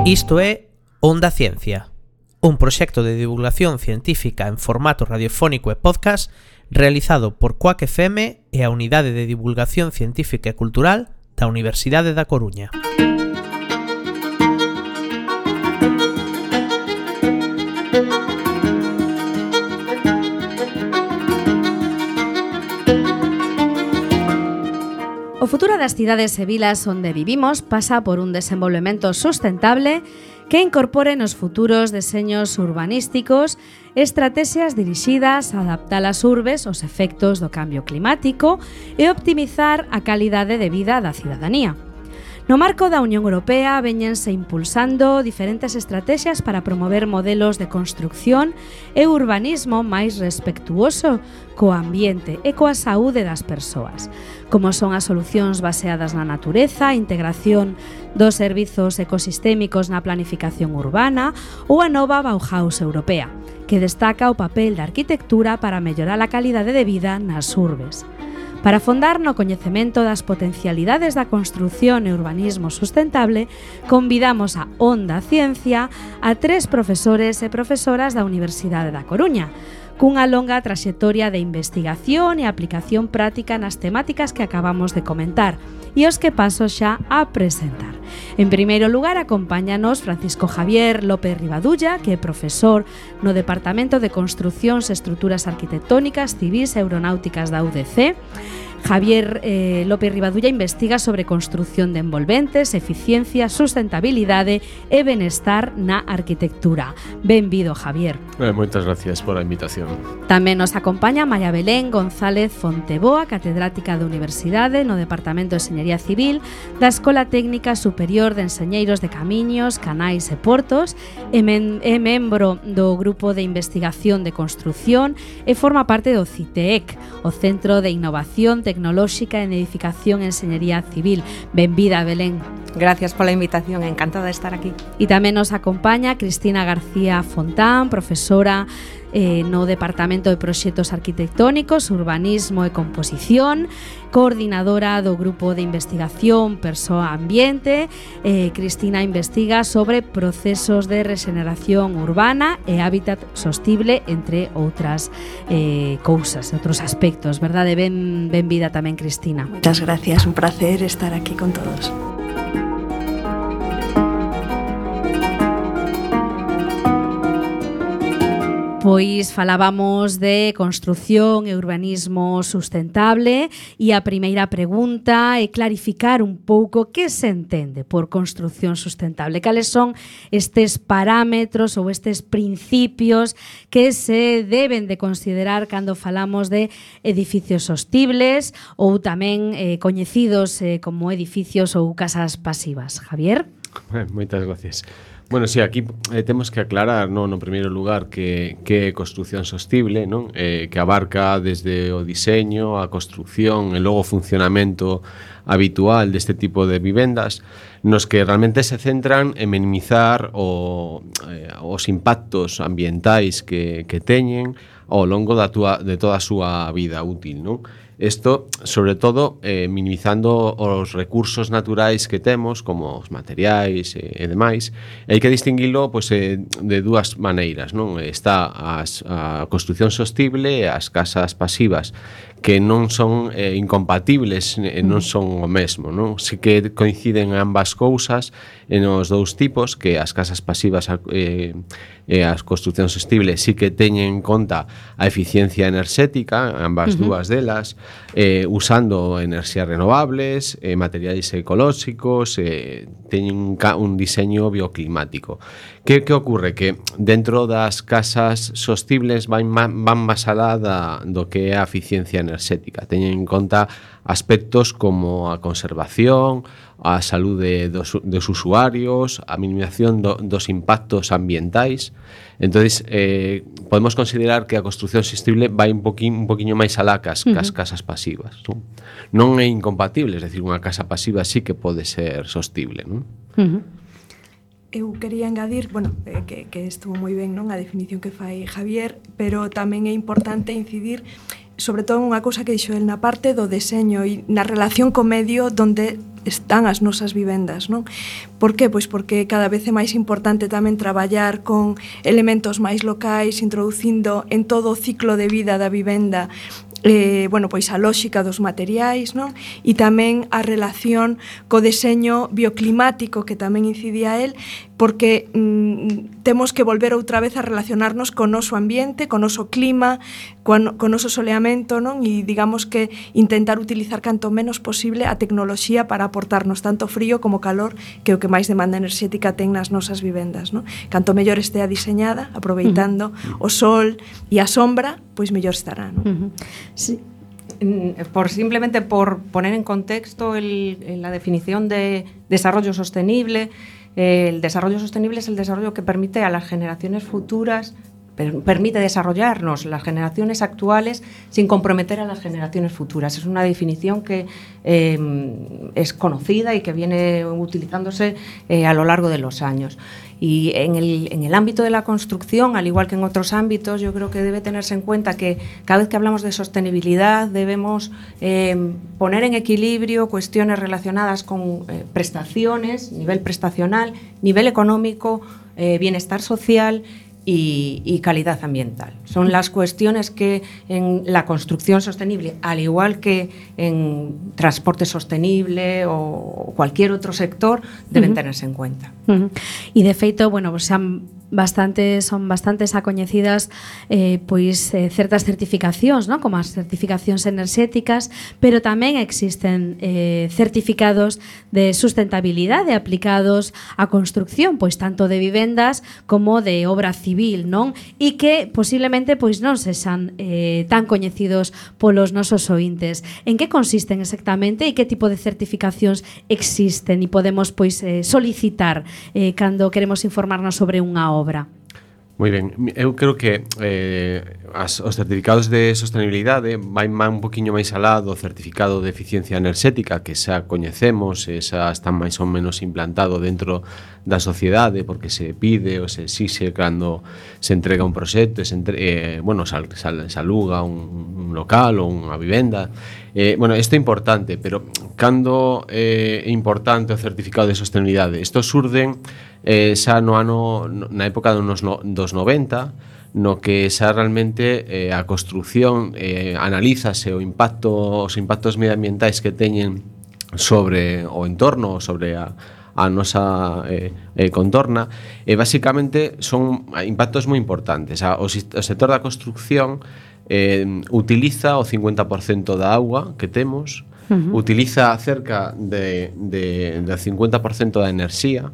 Isto é Onda Ciencia, un proxecto de divulgación científica en formato radiofónico e podcast realizado por Coac FM e a Unidade de Divulgación Científica e Cultural da Universidade da Coruña. O futuro das cidades e vilas onde vivimos pasa por un desenvolvemento sustentable que incorpore nos futuros deseños urbanísticos estrategias dirixidas a adaptar as urbes aos efectos do cambio climático e optimizar a calidade de vida da cidadanía. No marco da Unión Europea véñense impulsando diferentes estrategias para promover modelos de construcción e urbanismo máis respectuoso co ambiente e coa saúde das persoas, como son as solucións baseadas na natureza, a integración dos servizos ecosistémicos na planificación urbana ou a nova Bauhaus europea, que destaca o papel da arquitectura para mellorar a calidade de vida nas urbes. Para fondar no coñecemento das potencialidades da construción e urbanismo sustentable, convidamos a Onda Ciencia a 3 profesores e profesoras da Universidade da Coruña, cunha longa traxectoria de investigación e aplicación práctica nas temáticas que acabamos de comentar e os que paso xa a presentar. En primeiro lugar, acompáñanos Francisco Javier López Rivadulla, que é profesor no Departamento de Construcións e Estruturas Arquitectónicas, Civís e Aeronáuticas da UDC. Javier López Rivadulla investiga sobre construción de envolventes, eficiencia, sustentabilidade e benestar na arquitectura. Benvido, Javier. Moitas gracias por a invitación. Tamén nos acompaña María Belén González Fonteboa, catedrática da Universidade no Departamento de Enxeñería Civil da Escola Técnica Superior de Enxeñeiros de Camiños, Canais e Portos, é membro do Grupo de Investigación de Construción e forma parte do CITEEC, o Centro de Innovación Tecnolóxica en Edificación e Enxeñería Civil. Benvida, Belén. Gracias pola invitación, encantada de estar aquí. E tamén nos acompaña Cristina García Fontán, profesora no Departamento de Proxectos Arquitectónicos, Urbanismo e Composición, coordinadora do Grupo de Investigación Persoa Ambiente. Cristina investiga sobre procesos de regeneración urbana e hábitat sostible, entre outras cousas, outros aspectos, verdade? Benvida tamén, Cristina. Muchas gracias, un placer estar aquí con todos. Pois falábamos de construción e urbanismo sustentable e a primeira pregunta é clarificar un pouco que se entende por construción sustentable. Cales son estes parámetros ou estes principios que se deben de considerar cando falamos de edificios sostibles ou tamén coñecidos como edificios ou casas pasivas. Javier? Moitas gracias. Bueno, sí, aquí temos que aclarar, no primeiro lugar, que é construción sostible, non? Que abarca desde o diseño, a construción e logo o funcionamento habitual deste tipo de vivendas, nos que realmente se centran en minimizar os impactos ambientais que teñen ao longo de toda a súa vida útil, non? Isto, sobre todo, minimizando os recursos naturais que temos, como os materiais e demais. Hai que distinguilo de dúas maneiras, non? Está a construción sostible e as casas pasivas, que non son incompatibles, non son o mesmo, non? Si que coinciden ambas cousas nos dous tipos, que as casas pasivas e as construcións sostibles sí que teñen en conta a eficiencia enerxética, ambas dúas delas, usando enerxías renovables, materiais ecolóxicos, teñen un diseño bioclimático. Que ocorre? Que dentro das casas sostibles van máis alá do que é a eficiencia enerxética. Teñen en conta aspectos como a conservación, a saúde dos usuarios, a minimización dos impactos ambientais. Entonces, podemos considerar que a construción sostible vai un poquinho máis alá que as casas pasivas, non é incompatible, é dicir, unha casa pasiva sí que pode ser sostible, non? Eu quería engadir, que estuvo moi ben, non, a definición que fai Javier, pero tamén é importante incidir sobre todo unha cousa que dixo el na parte do deseño e na relación co medio, donde están as nosas vivendas, non? Por que? Pois porque cada vez é máis importante tamén traballar con elementos máis locais, introducindo en todo o ciclo de vida da vivenda pois a lóxica dos materiais, non? E tamén a relación co deseño bioclimático que tamén incidía el, porque temos que volver outra vez a relacionarnos co noso ambiente, co noso clima, co noso soleamento, non? E digamos que intentar utilizar canto menos posible a tecnoloxía para aportarnos tanto frío como calor, que é o que máis demanda enerxética ten nas nosas vivendas, non? Canto mellor estea diseñada, aproveitando o sol e a sombra, pois mellor estará, non? Sí. Simplemente por poner en contexto la definición de desarrollo sostenible, el desarrollo sostenible es el desarrollo que permite a las generaciones futuras, permite desarrollarnos las generaciones actuales sin comprometer a las generaciones futuras. Es una definición que es conocida y que viene utilizándose a lo largo de los años. Y en el ámbito de la construcción, al igual que en otros ámbitos, yo creo que debe tenerse en cuenta que cada vez que hablamos de sostenibilidad debemos poner en equilibrio cuestiones relacionadas con prestaciones, nivel prestacional, nivel económico, bienestar social y calidad ambiental. Son las cuestiones que en la construcción sostenible, al igual que en transporte sostenible o cualquier otro sector, deben tenerse en cuenta. E de feito, bueno, pues son bastantes acoñecidas certas certificacións, ¿no? Como as certificacións enerxéticas, pero tamén existen certificados de sustentabilidade aplicados á construcción, pois tanto de vivendas como de obra civil, non? E que posiblemente pois non sexan tan coñecidos polos nosos ointes. En que consisten exactamente e que tipo de certificacións existen e podemos pois solicitar cando queremos informarnos sobre unha obra? Moi ben, eu creo que os certificados de sostenibilidade vai un poquinho máis alá do certificado de eficiencia enerxética que xa coñecemos e xa está máis ou menos implantado dentro da sociedade porque se pide ou se exixe cando se entrega un proxecto se aluga un local ou unha vivenda. Isto é importante, pero cando é importante o certificado de sostenibilidade? Isto surden xa na época dos 90, no que xa realmente a construción analízase os impactos medioambientais que teñen sobre o entorno, sobre a nosa contorna, e basicamente son impactos moi importantes. O sector da construcción utiliza o 50% da auga que temos, utiliza cerca del 50% da enerxía,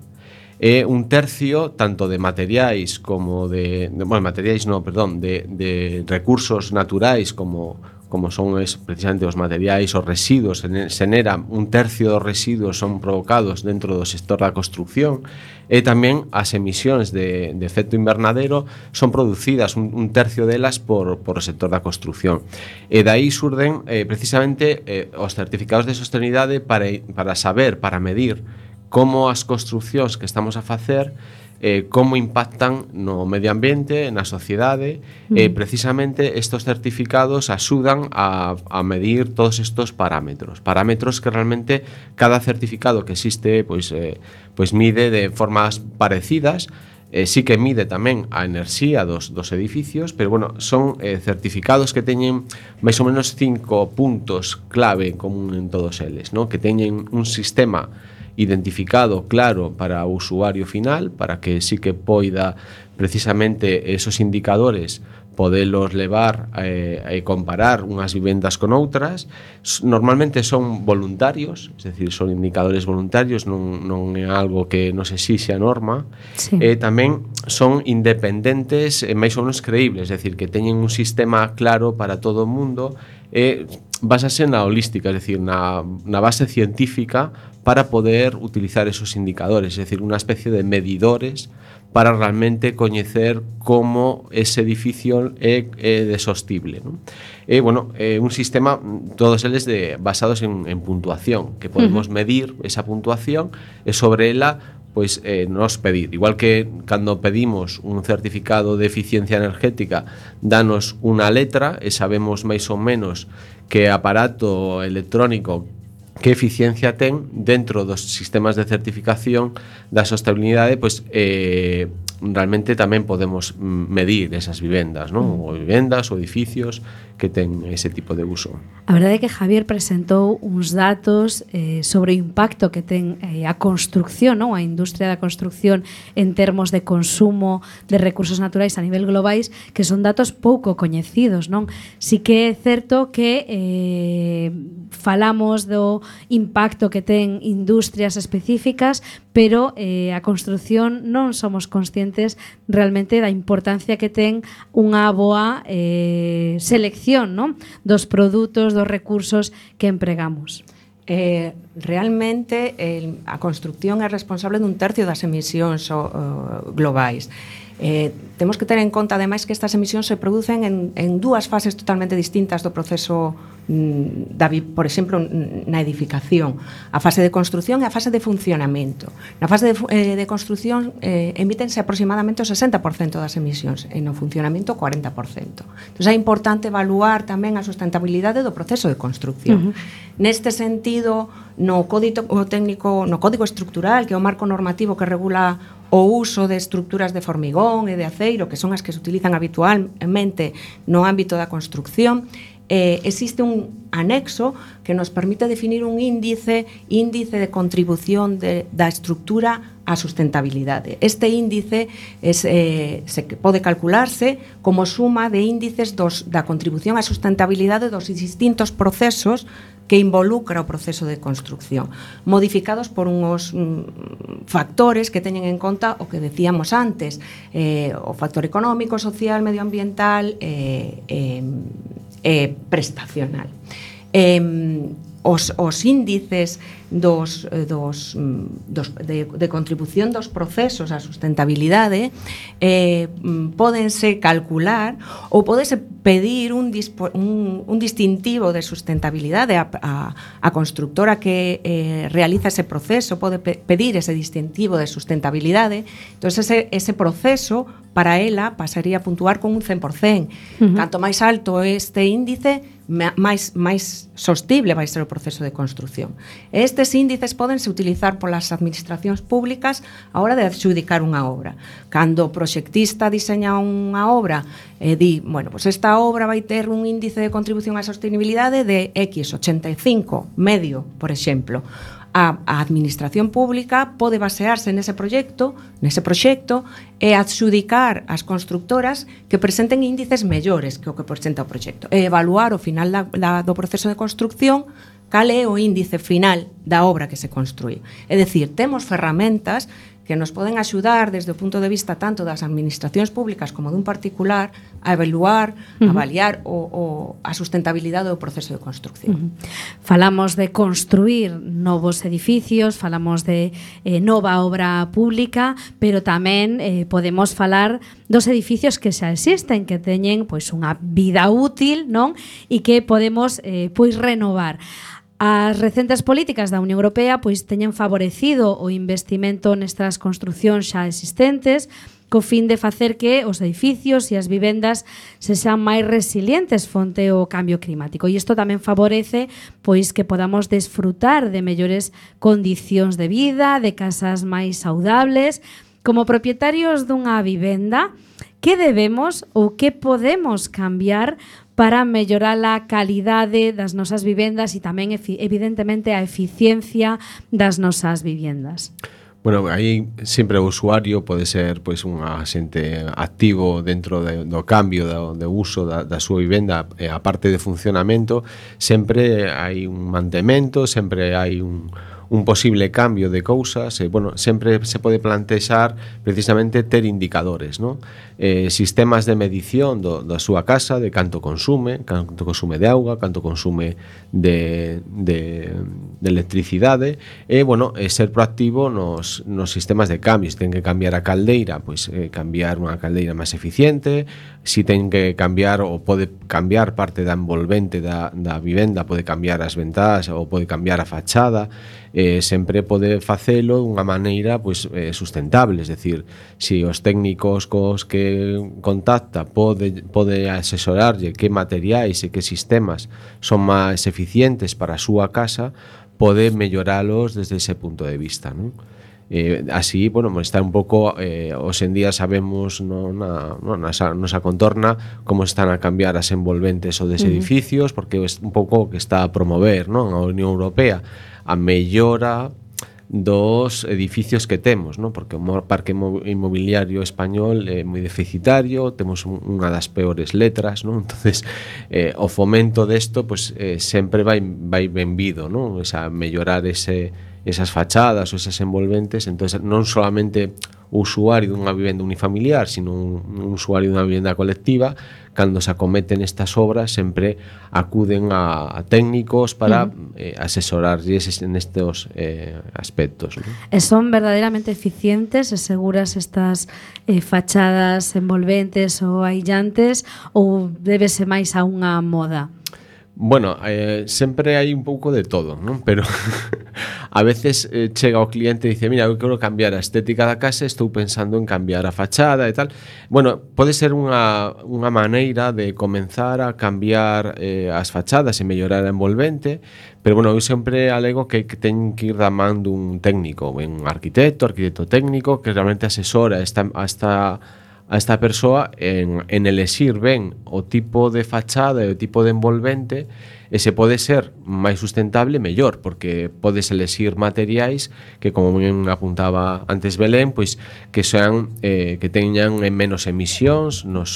e un tercio tanto de materiais como de recursos naturais como son precisamente os materiais, os residuos, se nera un tercio dos residuos son provocados dentro do sector da construcción, e tamén as emisións de efecto invernadero son producidas un tercio delas por o sector da construcción. E daí surden precisamente os certificados de sostenibilidade para saber, para medir como as construccións que estamos a facer como impactan no medio ambiente, na sociedade, e precisamente estos certificados axudan a medir todos estos parámetros que realmente cada certificado que existe pois mide de formas parecidas. Sí que mide tamén a enerxía dos edificios, pero son certificados que teñen máis ou menos 5 puntos clave en común en todos eles, ¿no? Que teñen un sistema identificado claro para o usuario final, para que sí que poida precisamente esos indicadores podelos levar e comparar unhas vivendas con outras. Normalmente son voluntarios, es decir, son indicadores voluntarios, non é algo que nos exixe a norma. Sí. Tamén son independentes e máis ou menos creíbles, es decir, que teñen un sistema claro para todo o mundo e basase na holística, es decir, na base científica para poder utilizar esos indicadores, es decir, unha especie de medidores para realmente coñecer como ese edificio é de sostible, ¿no? Un sistema, todos eles basados en puntuación, que podemos medir esa puntuación e sobre ela nos pedir. Igual que cando pedimos un certificado de eficiencia energética, danos unha letra e sabemos máis ou menos que aparato electrónico que eficiencia ten dentro dos sistemas de certificación da sostenibilidade, pois realmente tamén podemos medir esas vivendas, non? Ou vivendas ou edificios que ten ese tipo de uso. A verdade é que Javier presentou uns datos sobre o impacto que ten a construcción, non? A industria da construcción en termos de consumo de recursos naturais a nivel globais, que son datos pouco coñecidos, non? Si que é certo que falamos do impacto que ten industrias específicas, pero a construcción non somos conscientes realmente da importancia que ten unha boa selección, non? Dos produtos, dos recursos que empregamos. Realmente a construcción é responsable dun tercio das emisións globais. Temos que ter en conta ademais que estas emisións se producen en dúas fases totalmente distintas do proceso por exemplo, na edificación, a fase de construción e a fase de funcionamento. Na fase de construción emítense aproximadamente o 60% das emisións e no funcionamento o 40%. Entón é importante evaluar tamén a sustentabilidade do proceso de construcción. Neste sentido, no Código Estructural, que é o marco normativo que regula o uso de estructuras de formigón e de aceiro, que son as que se utilizan habitualmente no ámbito da construcción, existe un anexo que nos permite definir un índice de contribución da estructura á sustentabilidade. Este índice pode calcularse como suma de índices da contribución á sustentabilidade dos distintos procesos que involucra o proceso de construcción, modificados por unhos factores que teñen en conta o que decíamos antes, o factor económico, social, medioambiental prestacional. Os índices de contribución dos procesos á sustentabilidade pódense calcular ou pódese pedir un distintivo de sustentabilidade a constructora que realiza ese proceso pode pedir ese distintivo de sustentabilidade. Entón ese proceso para ela pasaría a puntuar con un 100%. Canto máis alto este índice, máis sostible vai ser o proceso de construcción. Estes índices pódense utilizar polas administracións públicas a hora de adxudicar unha obra. Cando o proxectista diseña unha obra di, pues esta obra vai ter un índice de contribución á sostenibilidade de X, 85, medio, por exemplo. A administración pública pode basearse nese proxecto e adxudicar as constructoras que presenten índices mellores que o que presenta o proxecto e evaluar ao final do proceso de construcción cal é o índice final da obra que se construí. É dicir, temos ferramentas que nos poden axudar desde o punto de vista tanto das administracións públicas como dun particular a evaluar, avaliar a sustentabilidade do proceso de construcción. Falamos de construir novos edificios, falamos de nova obra pública, pero tamén podemos falar dos edificios que xa existen, que teñen pois unha vida útil, non? E que podemos pois renovar. As recentes políticas da Unión Europea pois teñen favorecido o investimento nestas construcións xa existentes co fin de facer que os edificios e as vivendas se sean máis resilientes fronte ao cambio climático. E isto tamén favorece pois que podamos desfrutar de mellores condicións de vida, de casas máis saudables. Como propietarios dunha vivenda, que debemos ou que podemos cambiar para mellorar a calidade das nosas vivendas e tamén, evidentemente, a eficiencia das nosas vivendas? Bueno, aí sempre o usuario pode ser pois un axente activo dentro do cambio do uso da súa vivenda, a parte de funcionamento, sempre hai un mantemento, sempre hai un posible cambio de cousas, sempre se pode plantexar precisamente ter indicadores, non? Sistemas de medición da súa casa, de canto consume de auga, canto consume de electricidade, e ser proactivo nos sistemas de cambio. Se ten que cambiar a caldeira, pois cambiar unha caldeira máis eficiente. Se ten que cambiar ou pode cambiar parte da envolvente da vivenda, pode cambiar as ventás ou pode cambiar a fachada. Sempre pode facelo dunha maneira sustentable, es decir, se os técnicos cos que contacta pode asesorarlle que materiais e que sistemas son máis eficientes para a súa casa, pode melloralos desde ese punto de vista, non? Así, bueno, está un pouco hoxe en día sabemos na nosa contorna como están a cambiar as envolventes ou des edificios, porque é un pouco o que está a promover, non, a Unión Europea, a mellora dos edificios que temos, non? Porque o parque inmobiliario español é moi deficitario, temos unha das peores letras, non? Entonces, o fomento desto, pues, sempre vai benvido, non? O sea, mellorar esas fachadas ou esas envolventes. Entonces, non solamente o usuario dunha vivenda unifamiliar, sino un usuario dunha vivenda colectiva, cando se acometen estas obras sempre acuden a técnicos para asesorarlles nestes aspectos, ¿no? E son verdadeiramente eficientes e seguras estas fachadas envolventes ou aillantes, ou débese máis a unha moda? Bueno, sempre hai un pouco de todo, non? Pero a veces chega o cliente e dice: mira, eu quero cambiar a estética da casa, estou pensando en cambiar a fachada e tal. Bueno, pode ser unha maneira de comenzar a cambiar as fachadas e mellorar a envolvente, pero bueno, eu sempre alego que ten que ir da man dun técnico, un arquitecto técnico, que realmente asesora a esta persoa en elexir ben o tipo de fachada e o tipo de envolvente, e se pode ser máis sustentable, mellor, porque podes elexir materiais que, como ben apuntaba antes Belén, pois que sean que teñan menos emisións na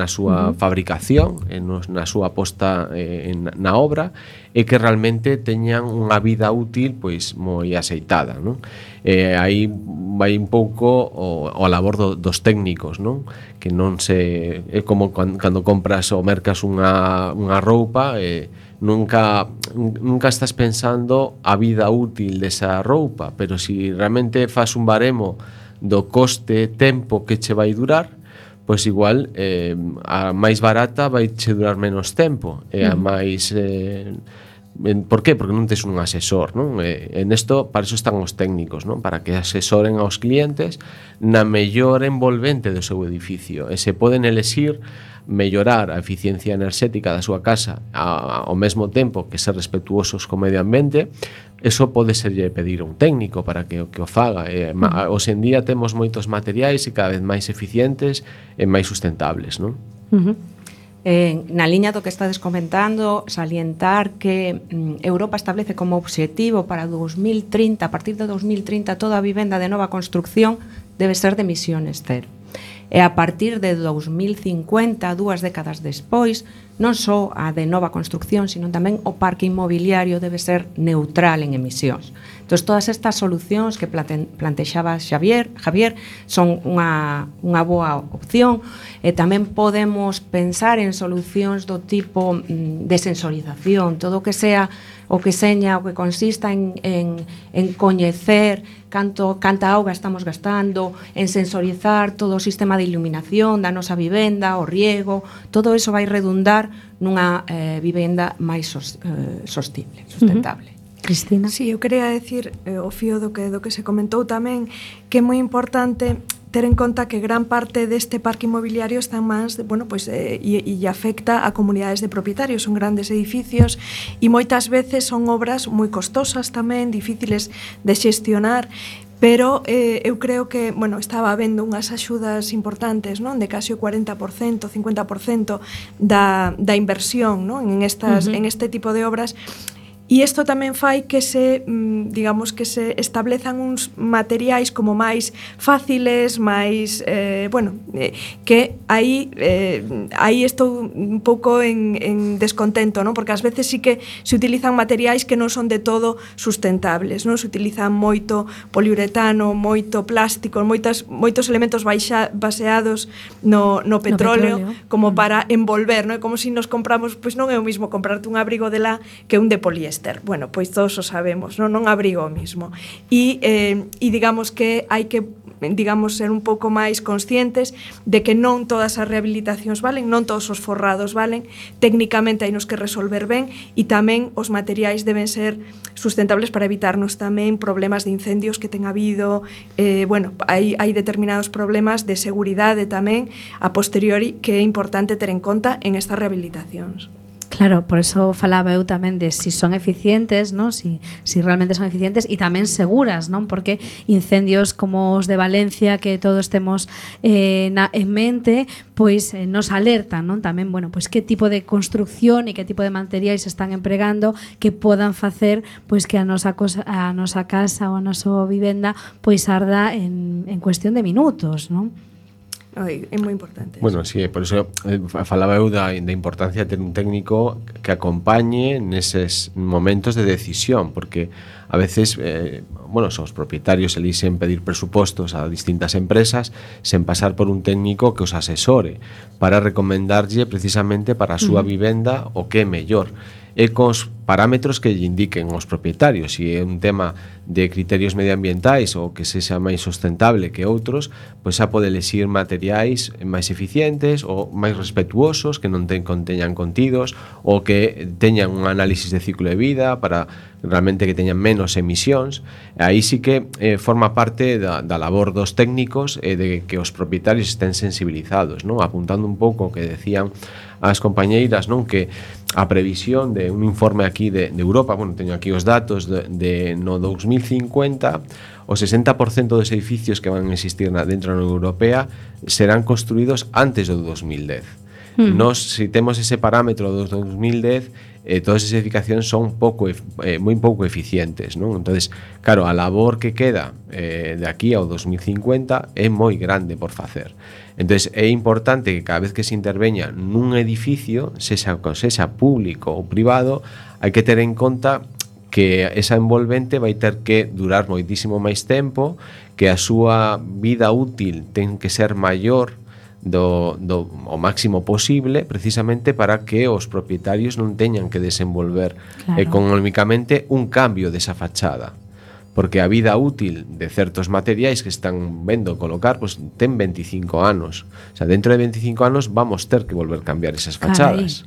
súa fabricación, na súa posta na obra, e que realmente teñan unha vida útil pois moi axeitada, non? Aí vai un pouco o labor dos técnicos, non? Que non se é como cando compras ou mercas unha roupa, nunca estás pensando a vida útil desa roupa, pero si realmente fas un baremo do coste tempo que che vai durar, pois igual a máis barata vai che durar menos tempo, e a máis por qué? Porque non tes un asesor, non? En isto, para iso están os técnicos, non? Para que asesoren aos clientes na mellor envolvente do seu edificio, e se poden elexir mellorar a eficiencia enerxética da súa casa ao mesmo tempo que ser respetuosos co medio ambiente. Eso pode serlle pedir a un técnico para que o faga. Hoxe en día temos moitos materiais e cada vez máis eficientes e máis sustentables, non? Na liña do que estades comentando, salientar que Europa establece como obxectivo para 2030, a partir de 2030, toda a vivenda de nova construcción debe ser de emisiones cero. E a partir de 2050, 2 décadas despois, non só a de nova construcción, sino tamén o parque inmobiliario debe ser neutral en emisións. Entón, todas estas solucións que plantexaba Javier son unha boa opción, e tamén podemos pensar en solucións do tipo de sensorización, todo o que sea o que seña, o que consista en coñecer canta auga estamos gastando, en sensorizar todo o sistema de iluminación da nosa vivenda, o riego, todo eso vai redundar nunha vivenda máis sostible, sustentable. Cristina? Sí, eu quería decir, o fío do que se comentou tamén, que é moi importante ter en conta que gran parte deste parque inmobiliario está máis, bueno, pois, e afecta a comunidades de propietarios, son grandes edificios e moitas veces son obras moi costosas tamén, difíciles de xestionar, pero eu creo que, bueno, estaba habendo unhas axudas importantes, non? De case o 40%, 50% da inversión, non? En este tipo de obras. E isto tamén fai que digamos que se establezan uns materiais como máis fáciles, máis, que aí estou un pouco en descontento, non? Porque ás veces sí que se utilizan materiais que non son de todo sustentables, non? Se utilizan moito poliuretano, moito plástico, moitos elementos baseados no petróleo, como para envolver, non? É como se nos compramos, pois non é o mismo comprarte un abrigo de lã que un de poliéster. Bueno, pois todos o sabemos, non abrigo o mismo. E digamos que hai que ser un pouco máis conscientes de que non todas as rehabilitacións valen, non todos os forrados valen, técnicamente hai nos que resolver ben, e tamén os materiais deben ser sustentables para evitarnos tamén problemas de incendios que ten habido, hai determinados problemas de seguridade tamén a posteriori que é importante ter en conta en estas rehabilitacións. Claro, por eso falaba eu tamén de si son eficientes, ¿no? Si realmente son eficientes e tamén seguras, non? Porque incendios como os de Valencia que todos temos en mente, pois nos alertan, non? Tamén, bueno, pois que tipo de construcción e que tipo de materiais se están empregando que podan facer pois que a nosa casa ou a nosa vivenda pois arda en cuestión de minutos, non? É moi importante. Bueno, sí, por eso falaba eu da importancia de ter un técnico que acompañe neses momentos de decisión, porque a veces, os propietarios elixen pedir presupostos a distintas empresas sen pasar por un técnico que os asesore para recomendarlle precisamente para a súa vivenda o que é mellor e cos parámetros que lle indiquen os propietarios. Se é un tema de criterios medioambientais ou que se xa máis sustentable que outros, pois xa pode elexir materiais máis eficientes ou máis respetuosos, que non conteñan contidos ou que teñan un análisis de ciclo de vida para realmente que teñan menos emisións. Aí sí que forma parte da labor dos técnicos e de que os propietarios estén sensibilizados, non? Apuntando un pouco o que decían as compañeiras, non? Que a previsión de un informe aquí de Europa, bueno, teño aquí os datos de no 2050, o 60% dos edificios que van a existir dentro da Unión Europea serán construídos antes do 2010. Nos, se temos ese parámetro do 2010, todas as edificacións son moi pouco eficientes, non? Entonces, claro, a labor que queda de aquí ao 2050 é moi grande por facer. Entonces, é importante que cada vez que se interveña nun edificio, sexa público ou privado, hai que ter en conta que esa envolvente vai ter que durar moitísimo máis tempo, que a súa vida útil ten que ser maior o máximo posible, precisamente para que os propietarios non teñan que desenvolver económicamente un cambio desa fachada, porque a vida útil de certos materiais que están vendo colocar pues, ten 25 anos. O sea, dentro de 25 anos vamos ter que volver a cambiar esas fachadas.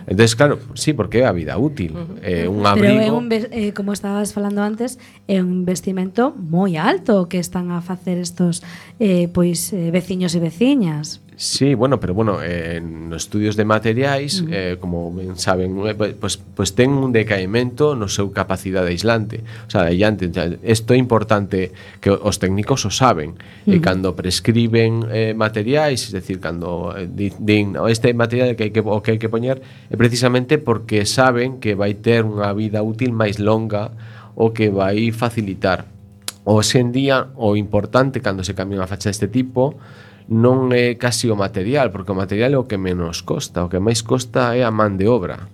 Entonces, claro, sí, porque é a vida útil. Un abrigo... Pero como estabas falando antes, é un investimento moi alto que están a facer estos veciños e veciñas. Sí, bueno, pero nos estudios de materiais, como ben saben, pues ten un decaimento no seu capacidade aislante. O sea, isto é importante que os técnicos o saben. E cando prescriben materiais, es decir, cando din este material que hai que poñer, é precisamente porque saben que vai ter unha vida útil máis longa ou que vai facilitar. Hoxe en día, o importante cando se cambia unha facha deste tipo non é casi o material, porque o material é o que menos costa, o que máis costa é a man de obra.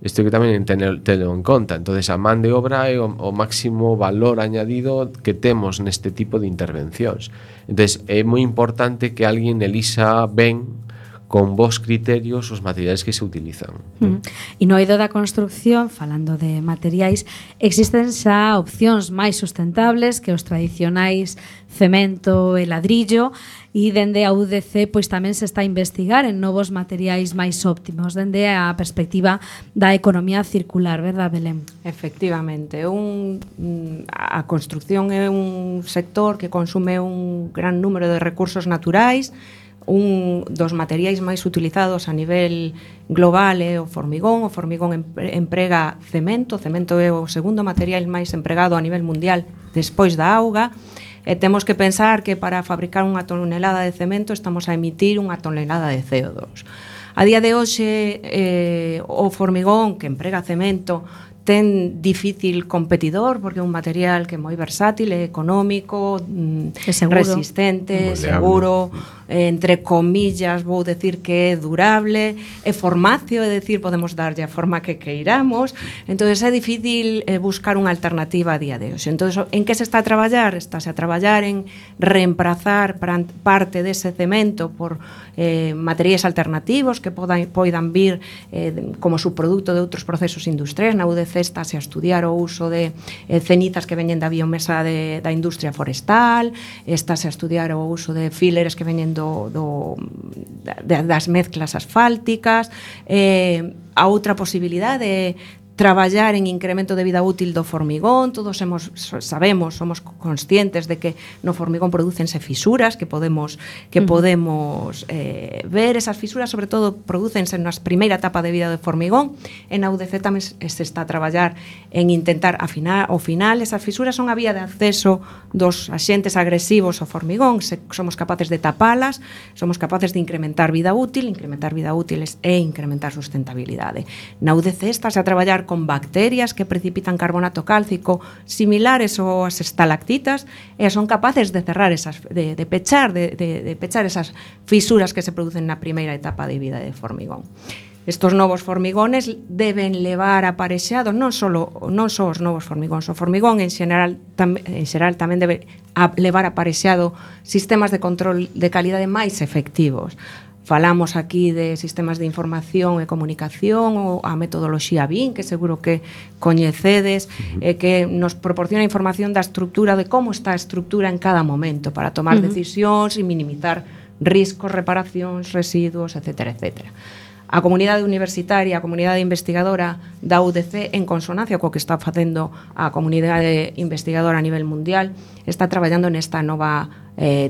Isto que tamén telo en conta. Entonces, a man de obra é o máximo valor añadido que temos neste tipo de intervencións. Entonces, é moi importante que alguén elixa ben con vos criterios os materiais que se utilizan. E no eido da construcción, falando de materiais, existen xa opcións máis sustentables que os tradicionais cemento e ladrillo, e dende a UDC pois tamén se está a investigar en novos materiais máis óptimos dende a perspectiva da economía circular, verdad, Belén? Efectivamente, a construcción é un sector que consume un gran número de recursos naturais. Un dos materiais máis utilizados a nivel global é o formigón. O formigón emprega cemento. O cemento é o segundo material máis empregado a nivel mundial despois da auga. E temos que pensar que para fabricar unha tonelada de cemento estamos a emitir unha tonelada de CO2. A día de hoxe, o formigón que emprega cemento ten difícil competidor porque é un material que é moi versátil, é económico, resistente, seguro, entre comillas vou decir que é durable, é formacio, é decir, podemos darlle a forma que queiramos. Entonces é difícil buscar unha alternativa a día de hoxe. Entonces, en que se está a traballar? Estáse a traballar en reemplazar parte dese cemento por materiais alternativos que poidan vir como subproducto de outros procesos industriais. Na UDC estáse a estudiar o uso de cenizas que veñen da biomesa da industria forestal, estáse a estudiar o uso de fillers que veñen das mezclas asfálticas. A outra posibilidade é traballar en incremento de vida útil do formigón. Todos sabemos, somos conscientes de que no formigón prodúcense fisuras que podemos ver. Esas fisuras sobre todo prodúcense na primeira etapa de vida do formigón. En a UDC tamén se está a traballar en intentar afinar. Ao final, esas fisuras son a vía de acceso dos axentes agresivos ao formigón. Somos capaces de tapalas, somos capaces de incrementar vida útil e incrementar sustentabilidade. Na UDC está a traballar con bacterias que precipitan carbonato cálcico similares aos estalactitas e son capaces de cerrar de pechar esas fisuras que se producen na primeira etapa de vida de formigón. Estos novos formigones deben levar aparexados non só os novos formigóns, o formigón en xeral tamén debe levar aparexado sistemas de control de calidade máis efectivos. Falamos aquí de sistemas de información e comunicación ou a metodoloxía BIM, que seguro que coñecedes, que nos proporciona información da estrutura, de como está a estrutura en cada momento para tomar decisións e minimizar riscos, reparacións, residuos, etcétera, etcétera. A comunidade universitaria, a comunidade investigadora da UDC, en consonancia co que está facendo a comunidade investigadora a nivel mundial, está traballando nesta nova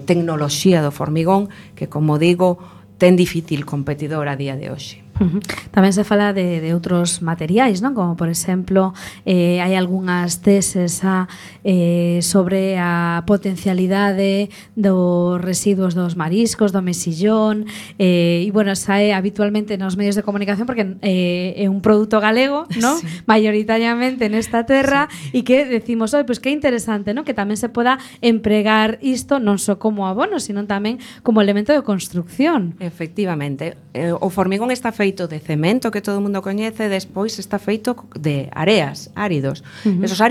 tecnoloxía do formigón que, como digo, ten difícil competidor a día de hoxe. Tamén se fala de outros materiais, non? Como por exemplo, hai algunhas teses sobre a potencialidade dos residuos dos mariscos, do mexillón, e bueno, sae habitualmente nos medios de comunicación porque é un produto galego, non? Sí. Mayoritariamente nesta terra, e que decimos, pois que interesante, non? Que tamén se poda empregar isto non só como abono, sino tamén como elemento de construcción. Efectivamente, o formigón está feito de cemento, que todo o mundo coñece, despois está feito de areas, áridos. Esos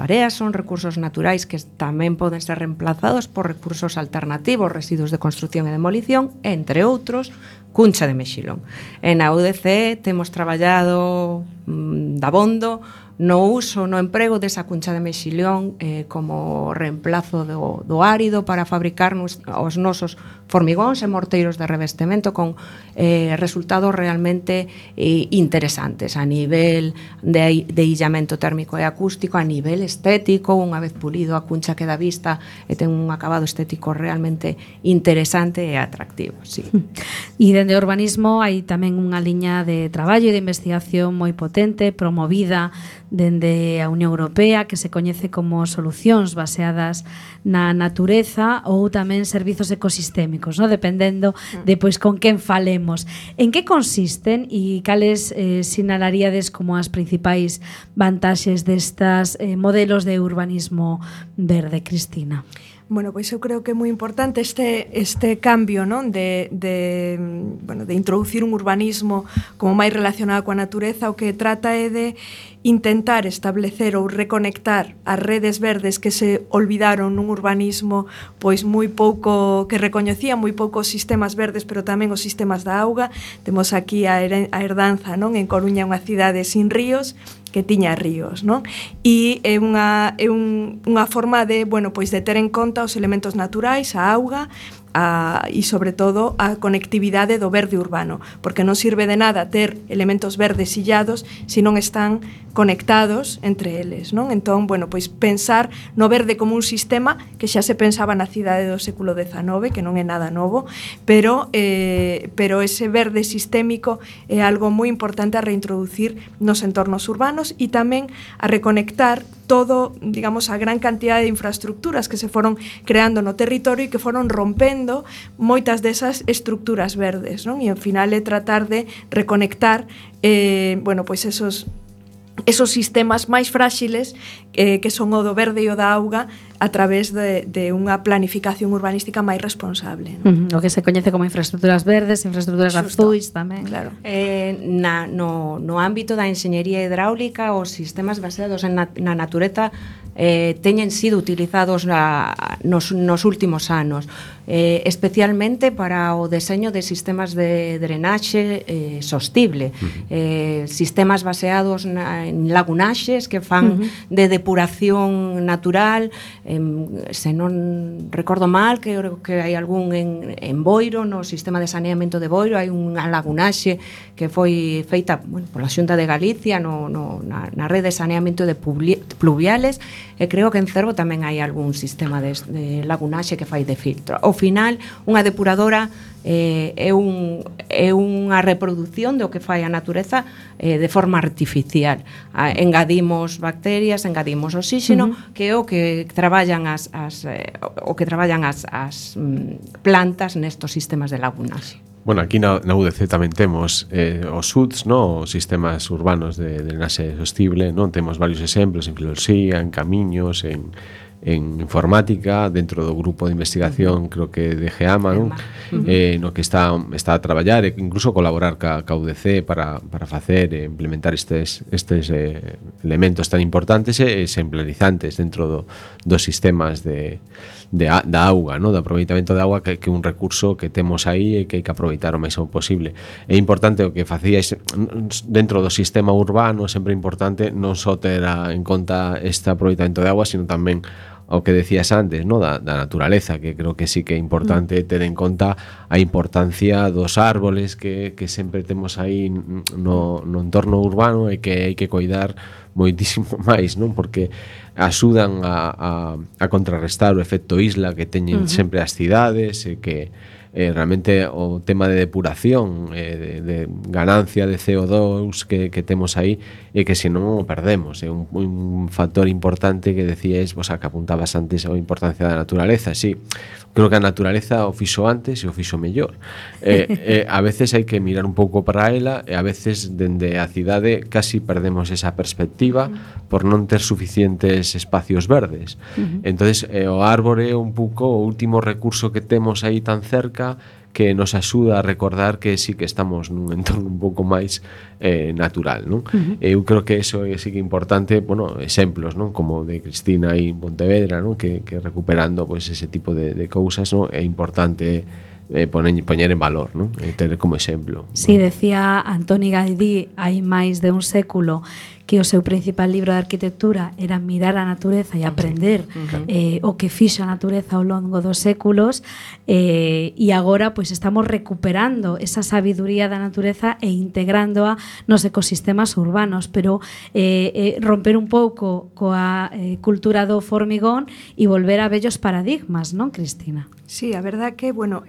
areas son recursos naturais que tamén poden ser reemplazados por recursos alternativos, residuos de construcción e demolición, entre outros, cuncha de mexilón. En a UDC temos traballado dabondo no uso, no emprego desa cuncha de mexilón como reemplazo do árido para fabricar os nosos formigóns e morteiros de revestemento con resultados realmente interesantes a nivel de illamento térmico e acústico, a nivel estético. Unha vez pulido, a cuncha queda vista e ten un acabado estético realmente interesante e atractivo. Sí. E dende o urbanismo hai tamén unha liña de traballo e de investigación moi potente, promovida dende a Unión Europea, que se coñece como solucións baseadas na natureza ou tamén servizos ecosistémicos, ¿no? Dependendo de pois con quen falemos. En que consisten e cales sinalaríades como as principais vantaxes destas modelos de urbanismo verde, Cristina? Bueno, pois eu creo que é moi importante este cambio, non? De introducir un urbanismo como máis relacionado coa natureza. O que trata é de intentar establecer ou reconectar as redes verdes que se olvidaron nun urbanismo pois moi pouco, que recoñecía moi poucos sistemas verdes, pero tamén os sistemas da auga. Temos aquí a herdanza, non? En Coruña, unha cidade sin ríos, que tiña ríos, non? E é unha forma de, bueno, pois de ter en conta os elementos naturais, a auga, e sobre todo a conectividade do verde urbano, porque non sirve de nada ter elementos verdes illados se non están conectados entre eles, non? Entón, bueno, pois pensar no verde como un sistema que xa se pensaba na cidade do século XIX, que non é nada novo, pero ese verde sistémico é algo moi importante a reintroducir nos entornos urbanos e tamén a reconectar todo, digamos, a gran cantidad de infraestructuras que se foron creando no territorio e que foron rompendo moitas desas estructuras verdes, non? E ao final é tratar de reconectar bueno, pois esos sistemas máis fráxiles que son o do verde e o da auga a través de unha planificación urbanística máis responsable, non? O que se coñece como infraestructuras verdes, infraestructuras azuis tamén. Claro. No ámbito da enxeñería hidráulica, os sistemas baseados na natureza teñen sido utilizados nos últimos anos, especialmente para o deseño de sistemas de drenaxe sostible, sistemas baseados en lagunaxes que fan de depuración natural, se non recordo mal, que hai algún en Boiro, no sistema de saneamento de Boiro, hai unha lagunaxe que foi feita pola Xunta de Galicia na rede de saneamento de pluviales, e creo que en Cervo tamén hai algún sistema de lagunaxe que fai de filtro. Ao final, unha depuradora é unha reproducción do que fai a natureza de forma artificial. Engadimos bacterias, engadimos oxígeno, que é o que traballan as plantas nestos sistemas de lagunaxe. Bueno, aquí na UDC tamén temos os SUDs, no? Os sistemas urbanos de drenaxe sostible, non? Temos varios exemplos en filosofía, en camiños, en informática, dentro do grupo de investigación, creo que de GEAMA, non? No que está a traballar e incluso colaborar ca UDC para facer e implementar estes elementos tan importantes e exemplarizantes dentro dos sistemas da auga, no? Do aproveitamento da auga, que é un recurso que temos aí e que hai que aproveitar o máximo posible. É importante o que facíais dentro do sistema urbano, sempre importante non só ter en conta este aproveitamento de auga, sino tamén o que decías antes, no? Da naturaleza, que creo que sí que é importante ter en conta a importancia dos árboles que sempre temos aí no entorno urbano e que hai que coidar moitísimo máis, non? Porque axudan a contrarrestar o efecto isla que teñen sempre as cidades, e que realmente o tema de depuración, de ganancia de CO2 que temos aí, e que se non o perdemos. É un factor importante que decíais, vos que apuntabas antes a importancia da naturaleza. Sí, creo que a naturaleza o fixo antes e o fixo mellor. A veces hai que mirar un pouco para ela, e a veces dende a cidade casi perdemos esa perspectiva por non ter suficientes espacios verdes. Entonces o árbore é un pouco o último recurso que temos aí tan cerca, que nos axuda a recordar que sí que estamos nun entorno un pouco máis natural, non? Eu creo que eso é sí que importante, bueno, exemplos, non? Como de Cristina aí en Pontevedra, non? Que recuperando pois ese tipo de cousas, non? É importante poñer en valor, non? Ter como exemplo. Si, decía Antoni Gaudí hai máis de un século que o seu principal libro de arquitectura era mirar a natureza e aprender o que fixa a natureza ao longo dos séculos, e agora pois estamos recuperando esa sabiduría da natureza e integrándoa nos ecosistemas urbanos, pero romper un pouco coa cultura do formigón e volver a vellos paradigmas, non, Cristina? Sí, a verdad que, bueno,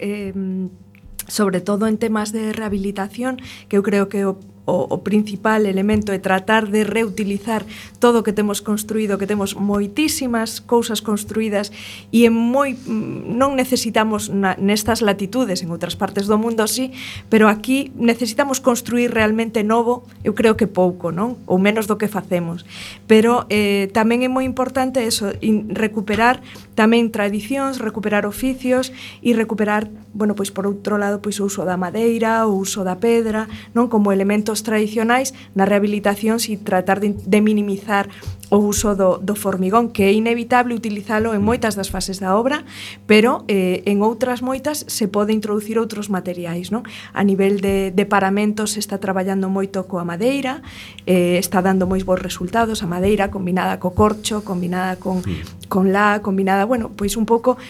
sobre todo en temas de rehabilitación, que eu creo que o principal elemento é tratar de reutilizar todo o que temos construído, que temos moitísimas cousas construídas e non necesitamos nestas latitudes, en outras partes do mundo sí, pero aquí necesitamos construir realmente novo, eu creo que pouco, non? Ou menos do que facemos. Pero tamén é moi importante eso, recuperar tamén tradicións, recuperar oficios e recuperar, bueno, pois por outro lado, pois o uso da madeira, o uso da pedra, non? Como elementos tradicionais na rehabilitación, e tratar de minimizar o uso do formigón, que é inevitable utilizalo en moitas das fases da obra, pero en outras moitas se pode introducir outros materiais, non? A nivel de paramentos se está traballando moito coa madeira, está dando moi bons resultados a madeira combinada co corcho, combinada con combinada, bueno, pois un pouco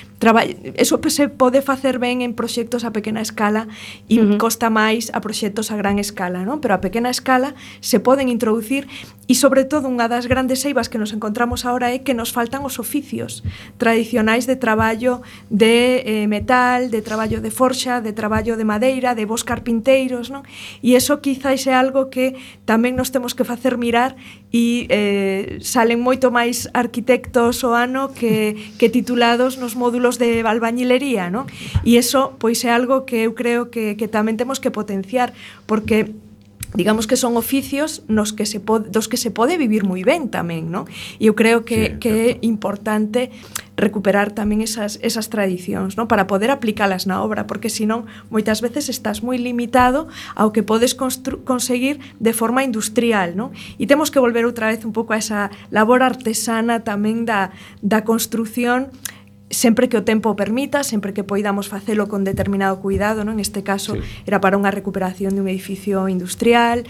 eso se pode facer ben en proxectos a pequena escala e costa máis a proxectos a gran escala, non? Pero a pequena escala se poden introducir, e sobre todo unha das grandes eivas que nos encontramos ahora é que nos faltan os oficios tradicionais de traballo de metal, de traballo de forxa, de traballo de madeira, de vos carpinteiros, non? E iso quizás é algo que tamén nos temos que facer mirar, e salen moito máis arquitectos o ano que titulados nos módulos de albañilería, non? E iso pois é algo que eu creo que tamén temos que potenciar, porque digamos que son oficios dos que se pode vivir moi ben tamén, non? E eu creo que é importante recuperar tamén esas tradicións, non? Para poder aplicalas na obra, porque senón moitas veces estás moi limitado ao que podes conseguir de forma industrial, non? E temos que volver outra vez un pouco a esa labor artesana tamén da construción, sempre que o tempo o permita, sempre que poidamos facelo con determinado cuidado, non? Neste caso era para unha recuperación de un edificio industrial,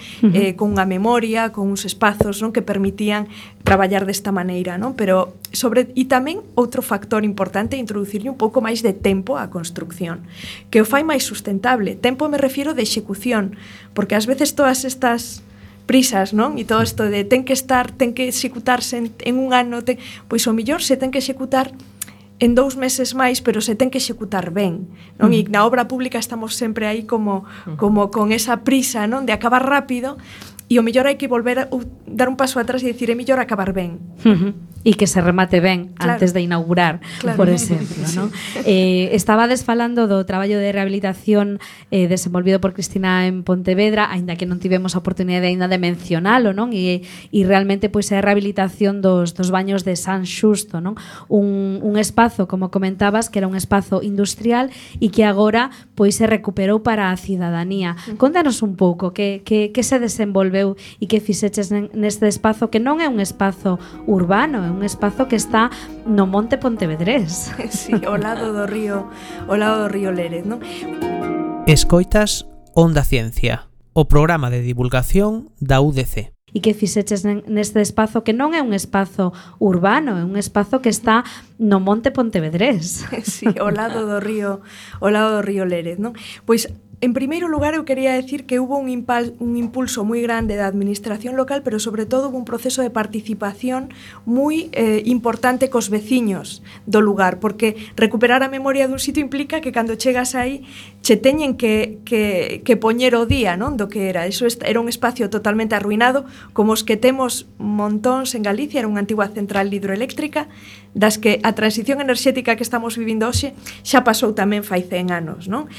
con unha memoria, con uns espazos, non, que permitían traballar desta maneira, non? Pero e tamén outro factor importante é introducirlle un pouco máis de tempo á construcción, que o fai máis sustentable. Tempo me refiero de execución, porque ás veces todas estas prisas, non? E todo isto de ten que executarse en un ano, pois o mellor se ten que executar en 2 meses máis, pero se ten que executar ben, non? E na obra pública estamos sempre aí como con esa prisa, non? De acabar rápido, e o mellor hai que volver a dar un paso atrás e dicir, é mellor acabar ben. E que se remate ben antes de inaugurar, por exemplo, non? Estabades falando do traballo de rehabilitación desenvolvido por Cristina en Pontevedra, aínda que non tivemos a oportunidade aínda de mencionalo, non? E realmente pois é a rehabilitación dos baños de San Xusto, non? Un espazo, como comentabas, que era un espazo industrial e que agora pois se recuperou para a cidadanía. Contanos un pouco que se desenvolveu e que fixeches neste espazo, que non é un espazo urbano, é un espazo que está no Monte Pontevedrés. Sí, ao lado do río Lérez, non? Escoitas Onda Ciencia, o programa de divulgación da UDC. E que fixeches neste espazo que non é un espazo urbano, é un espazo que está no Monte Pontevedrés. Sí, ao lado do río Lérez, non? Pois en primeiro lugar, eu quería decir que hubo un impulso moi grande da administración local, pero sobre todo hubo un proceso de participación moi importante cos veciños do lugar, porque recuperar a memoria dun sitio implica que cando chegas aí che teñen que poñer o día, non, do que era. Eso era un espacio totalmente arruinado, como os que temos montóns en Galicia, era unha antigua central hidroeléctrica, das que a transición enerxética que estamos vivindo hoxe xa pasou tamén fai 100 anos, non?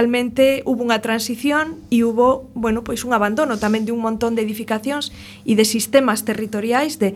Realmente hubo unha transición e hubo, bueno, pois un abandono tamén de un montón de edificacións e de sistemas territoriais de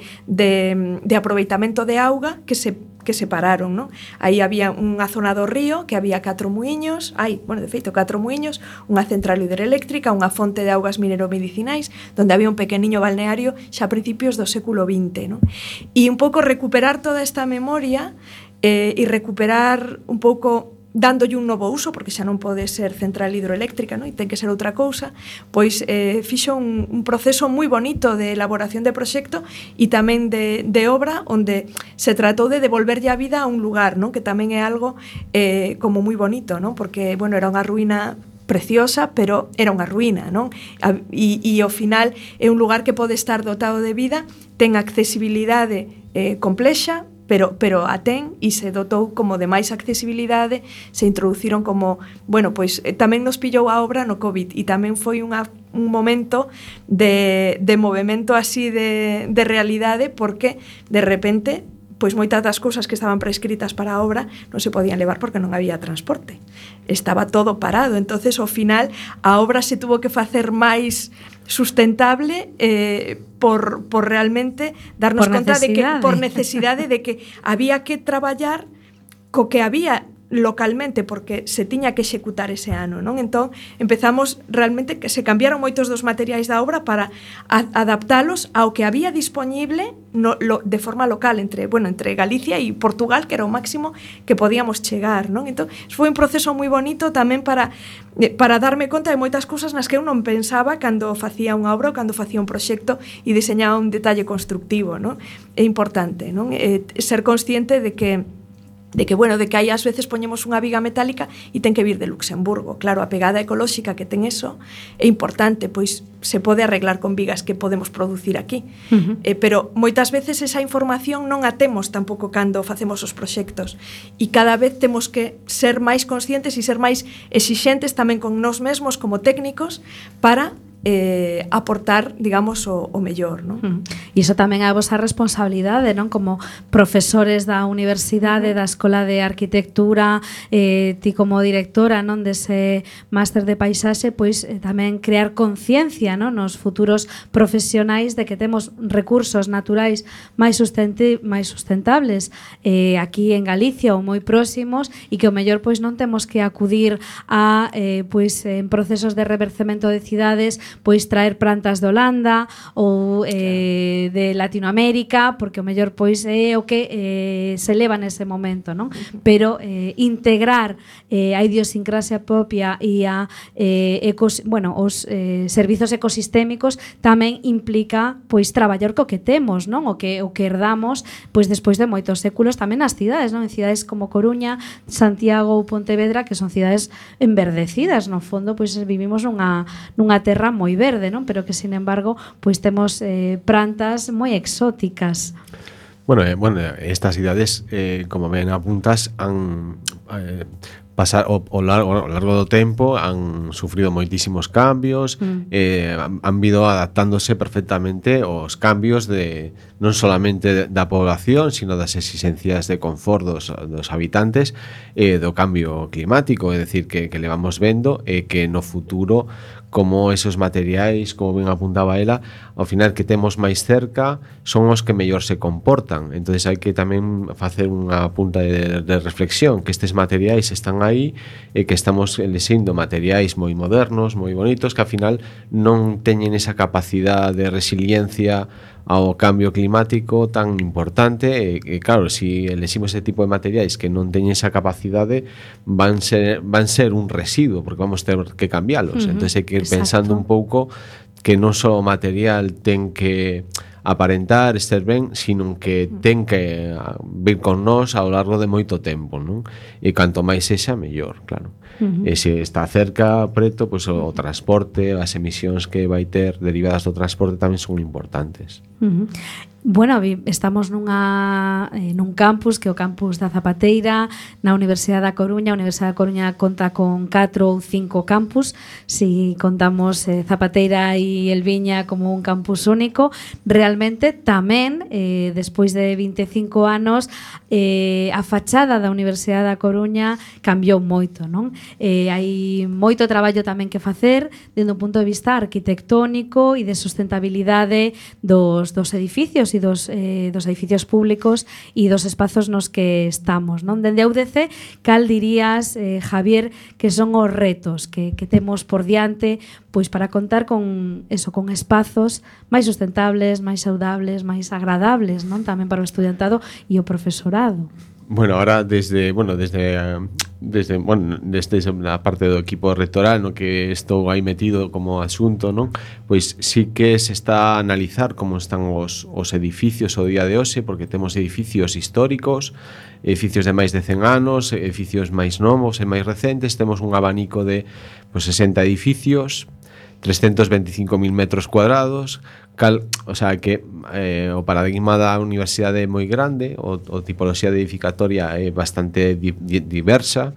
aproveitamento de auga que se pararon, non? Aí había unha zona do río que había 4 muiños, de feito 4 muiños, unha central hidroeléctrica, unha fonte de augas mineromedicinais, donde había un pequeniño balneario xa a principios do século XX, non? E un pouco recuperar toda esta memoria e recuperar un pouco dándolle un novo uso, porque xa non pode ser central hidroeléctrica, non? E ten que ser outra cousa, pois fixo un proceso moi bonito de elaboración de proxecto e tamén de obra, onde se tratou de devolverlle a vida a un lugar, non? Que tamén é algo como moi bonito, non? Porque, bueno, era unha ruína preciosa, pero era unha ruína, non? E ao final é un lugar que pode estar dotado de vida, ten accesibilidade complexa, pero a ten e se dotou como de máis accesibilidade, se introduciron como, bueno, pois tamén nos pillou a obra no COVID e tamén foi un momento de movemento así de realidade, porque de repente pois moitas das cousas que estaban prescritas para a obra non se podían levar porque non había transporte. Estaba todo parado, entonces ao final a obra se tuvo que facer máis sustentable por realmente darnos conta de que por necesidade de que había que traballar co que había localmente, porque se tiña que executar ese ano, non? Entón, empezamos realmente que se cambiaron moitos dos materiais da obra para adaptalos ao que había dispoñible de forma local entre Galicia e Portugal, que era o máximo que podíamos chegar, non? Entón, foi un proceso moi bonito tamén para darme conta de moitas cousas nas que eu non pensaba cando facía unha obra ou cando facía un proxecto e diseñaba un detalle constructivo, non? É importante, non? Ser consciente de que aí ás veces poñemos unha viga metálica e ten que vir de Luxemburgo. Claro, a pegada ecolóxica que ten eso é importante, pois se pode arreglar con vigas que podemos producir aquí. Pero moitas veces esa información non a temos tampouco cando facemos os proxectos. E cada vez temos que ser máis conscientes e ser máis exixentes tamén con nós mesmos como técnicos para aportar, digamos, o mellor, non? E iso tamén é a vosa responsabilidade, non? Como profesores da universidade, da Escola de Arquitectura, ti como directora, non, dese máster de paisaxe, pois tamén crear conciencia, non, nos futuros profesionais de que temos recursos naturais máis sustentables aquí en Galicia ou moi próximos e que o mellor pois non temos que acudir a pois en procesos de revercemento de cidades pois traer plantas de Holanda ou de Latinoamérica, porque o mellor pois é o que se leva nese momento, non? Pero integrar a idiosincrasia propia e a os servizos ecosistémicos tamén implica pois traballar co que temos, non? O que herdamos pois despois de moitos séculos tamén nas cidades, non? En cidades como Coruña, Santiago ou Pontevedra, que son cidades enverdecidas, no fondo pois vivimos nunha terra moi verde, non? Pero que sin embargo pois temos plantas moi exóticas. Bueno, estas cidades, como ben apuntas, han ao largo do tempo han sufrido moitísimos cambios, han ido adaptándose perfectamente aos cambios non solamente da población, sino das exigencias de confort dos habitantes, do cambio climático, é dicir, que levamos vendo que no futuro como esos materiais, como ben apuntaba ela, ao final que temos máis cerca son os que mellor se comportan. Entonces hai que tamén facer unha punta de reflexión, que estes materiais están aí e que estamos elixindo materiais moi modernos, moi bonitos, que ao final non teñen esa capacidade de resiliencia ao cambio climático tan importante e claro, se eleximos ese tipo de materiais que non teñen esa capacidade van ser un residuo porque vamos ter que cambialos. Entón hai que ir pensando un pouco que non só o material ten que aparentar, estar ben, sino que ten que vir con nós ao largo de moito tempo, non? E canto máis sexa, mellor, claro. E se está cerca, preto, pois o transporte, as emisións que vai ter derivadas do transporte tamén son importantes. Bueno, estamos nun campus que é o campus da Zapateira na Universidade da Coruña. A Universidade da Coruña conta con 4 ou 5 campus, si contamos Zapateira e Elviña como un campus único. Realmente tamén, despois de 25 anos, a fachada da Universidade da Coruña cambiou moito, non? Hai moito traballo tamén que facer dende un punto de vista arquitectónico e de sustentabilidade dos edificios e dos edificios públicos e dos espazos nos que estamos, non? Dende a UDC, cal dirías, Javier, que son os retos que temos por diante pois para contar con espazos máis sustentables, máis saudables, máis agradables, non? Tamén para o estudantado e o profesorado. Bueno, ahora desde a parte do equipo rectoral, no que estou aí metido como asunto, non? Pois sí que se está a analizar como están os edificios o día de hoxe, porque temos edificios históricos, edificios de máis de 100 anos, edificios máis novos e máis recentes, temos un abanico de 60 edificios, 325.000 metros cuadrados, o sea que o paradigma da universidade é moi grande, o tipoloxía de edificatoria é bastante diversa,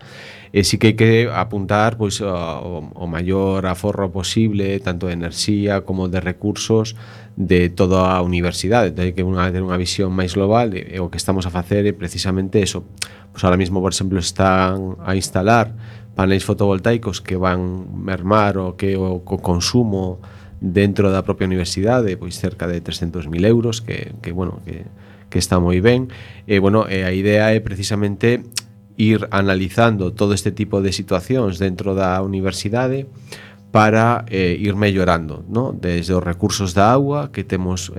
e si que hai que apuntar pois o maior aforro posible, tanto de enerxía como de recursos de toda a universidade. Entón hai que ter unha visión máis global, e o que estamos a facer é precisamente eso. Pois ahora mismo, por exemplo, están a instalar paneis fotovoltaicos que van mermar o consumo dentro da propia universidade, pois cerca de 300.000 euros, que está moi ben. E a idea é precisamente ir analizando todo este tipo de situacións dentro da universidade para ir mellorando, ¿no? Desde os recursos da auga, que temos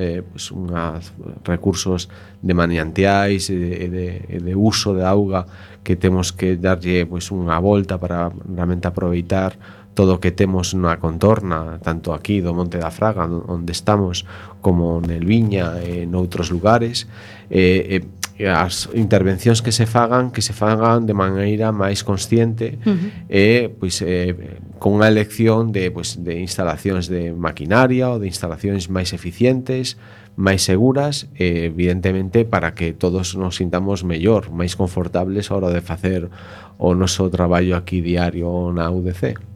recursos de manantiais e de uso de auga que temos que darlle unha volta para realmente aproveitar todo o que temos na contorna, tanto aquí do Monte da Fraga, onde estamos, como en Elviña e noutros lugares, as intervencións que se fagan de maneira máis consciente e con unha elección de instalacións de maquinaria ou de instalacións máis eficientes, máis seguras, evidentemente para que todos nos sintamos mellor, máis confortables a hora de facer o noso traballo aquí diario na UDC.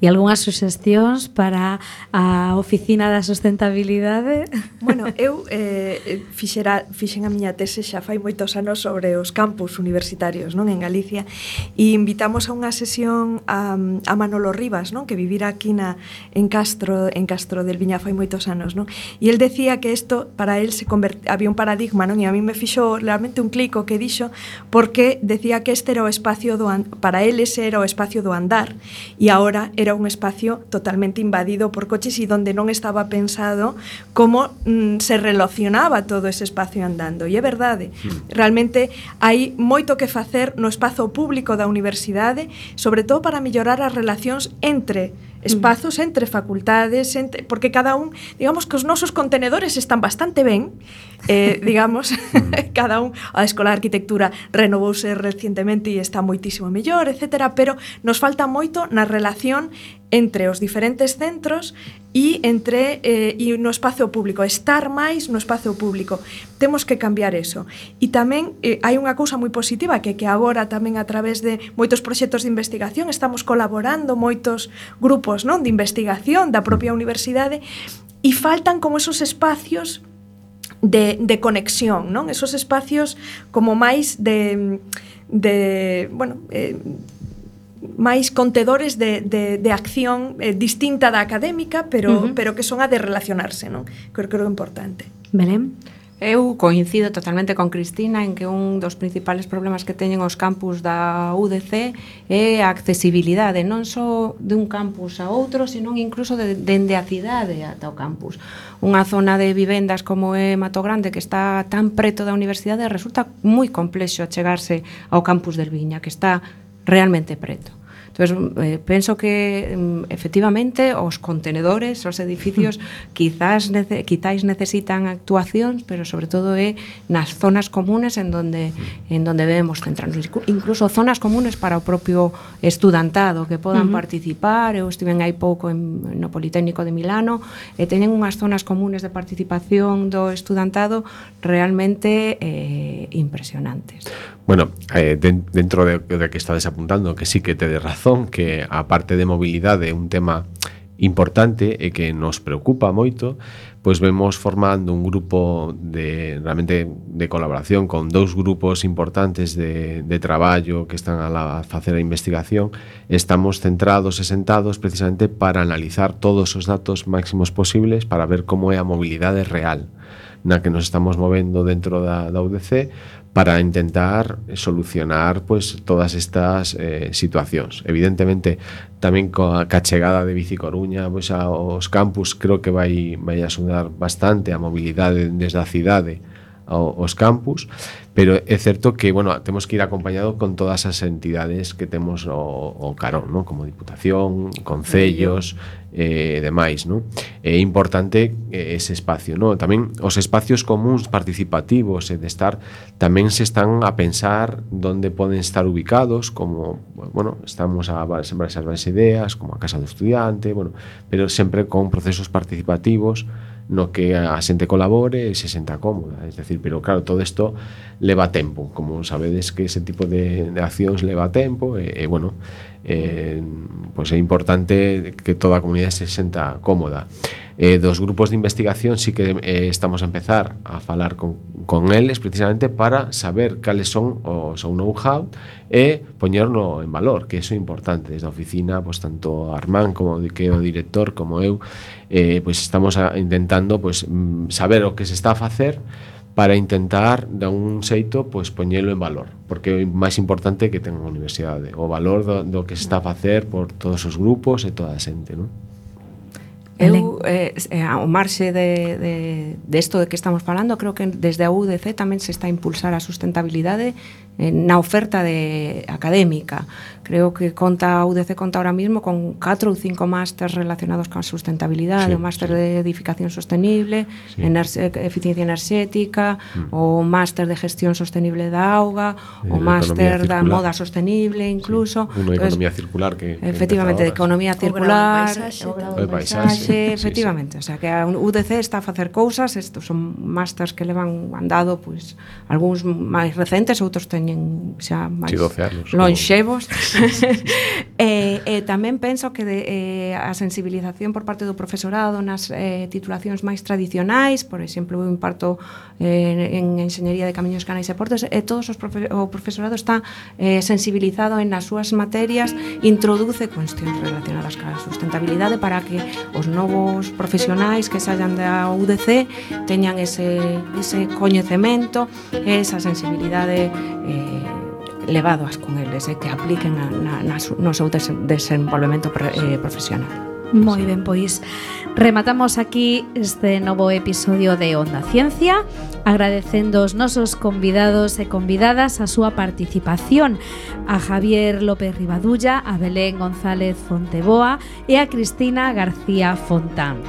E algunhas suxestións para a oficina da sustentabilidade? Bueno, eu fixen a miña tese xa fai moitos anos sobre os campus universitarios, non, en Galicia, e invitamos a unha sesión a Manolo Rivas, non, que vivira aquí en Castro del Viña fai moitos anos, non? E el decía que isto para el había un paradigma, non? E a mí me fixo realmente un clic o que dixo, porque decía que este era o espacio para el ese era o espacio do andar, e e agora era un espacio totalmente invadido por coches e donde non estaba pensado como se relacionaba todo ese espacio andando. E é verdade, realmente hai moito que facer no espazo público da universidade, sobre todo para mellorar as relacións entre espazos, entre facultades, porque cada un, digamos que os nosos contenedores están bastante ben, digamos, cada un, a Escola de Arquitectura renovouse recientemente e está moitísimo mellor, etcétera, pero nos falta moito na relación entre os diferentes centros e entre e no espazo público, estar máis no espazo público. Temos que cambiar eso. E tamén hai unha cousa moi positiva que agora tamén a través de moitos proxectos de investigación estamos colaborando moitos grupos, non, de investigación da propia universidade e faltan como esos espacios de conexión, non? Esos espacios como máis de bueno, máis contedores de acción distinta da académica, pero que son a de relacionarse, non? Creo que é importante. Belén? Eu coincido totalmente con Cristina en que un dos principales problemas que teñen os campus da UDC é a accesibilidade, non só de un campus a outro, sino incluso dende a cidade ata o campus. Unha zona de vivendas como é Mato Grande, que está tan preto da universidade, resulta moi complexo chegarse ao campus del Viña, que está realmente preto. Entonces, penso que efectivamente os contenedores, os edificios quizáis necesitan actuacións, pero sobre todo é nas zonas comunes en donde debemos centrarnos, incluso zonas comunes para o propio estudantado que podan participar. Eu estiven hai pouco no Politécnico de Milano e teñen unhas zonas comunes de participación do estudantado realmente impresionantes. Bueno, dentro de que estades apuntando, que sí que tedes razón, que a parte de mobilidade é un tema importante e que nos preocupa moito, pois vemos formando un grupo realmente de colaboración con dous grupos importantes de traballo que están a facer a investigación. Estamos centrados e sentados precisamente para analizar todos os datos máximos posibles para ver como é a mobilidade real na que nos estamos movendo dentro da UDC, para intentar solucionar pues todas estas situacións. Evidentemente, tamén coa chegada de Bici Coruña pues, aos campus, creo que vai axudar bastante a mobilidade desde a cidade aos campus, pero é certo que, bueno, temos que ir acompañado con todas as entidades que temos o carón, ¿no? Como Diputación, concellos e demais, ¿no? É importante ese espacio, ¿no? Tamén os espacios comuns participativos e de estar, tamén se están a pensar onde poden estar ubicados, como, bueno, estamos a sembrar esas varias ideas, como a Casa do Estudiante, bueno, pero sempre con procesos participativos no que a xente colabore e se senta cómoda, es decir, pero claro, todo isto leva tempo, como sabedes que ese tipo de accións leva tempo e bueno, pois é importante que toda a comunidade se senta cómoda. Dos grupos de investigación sí que estamos a empezar a falar con eles precisamente para saber cales son o seu know-how e poñerno en valor, que iso é importante. Desde a oficina, pues, tanto Armán como que o director como eu, pues, estamos intentando pues, saber o que se está a facer para intentar, de un xeito, pues, poñelo en valor, porque é o máis importante que ten a universidade, o valor do que se está a facer por todos os grupos e toda a xente, non? Eu, ao marxe de isto de que estamos falando, creo que desde a UDC tamén se está a impulsar a sustentabilidade na oferta académica. Creo que a UDC conta ahora mismo con 4 ou 5 másters relacionados con a sustentabilidade, o máster de edificación sostenible, eficiencia enerxética, o máster de gestión sostenible da auga, o máster da moda sostenible incluso. Unha economía circular que efectivamente, de economía circular, o grado de paisaxe, efectivamente, o sea que a UDC está a facer cousas, estos son másters que levan andado, pois, algúns máis recentes, outros teñen xa máis lonxevos. E tamén penso que a sensibilización por parte do profesorado nas titulacións máis tradicionais, por exemplo, eu imparto en Enxeñería de Camiños, Canais e Portos, e todos o profesorado está sensibilizado en as súas materias, introduce cuestións relacionadas ca sustentabilidade para que os novos profesionais que saian da UDC teñan ese coñecemento, esa sensibilidade levado ás con eles e que apliquen no seu desenvolvemento profesional. Moi ben, pois rematamos aquí este novo episodio de Onda Ciencia, agradecendo aos nosos convidados e convidadas a súa participación, a Javier López Rivadulla, a Belén González Fonteboa e a Cristina García Fontán.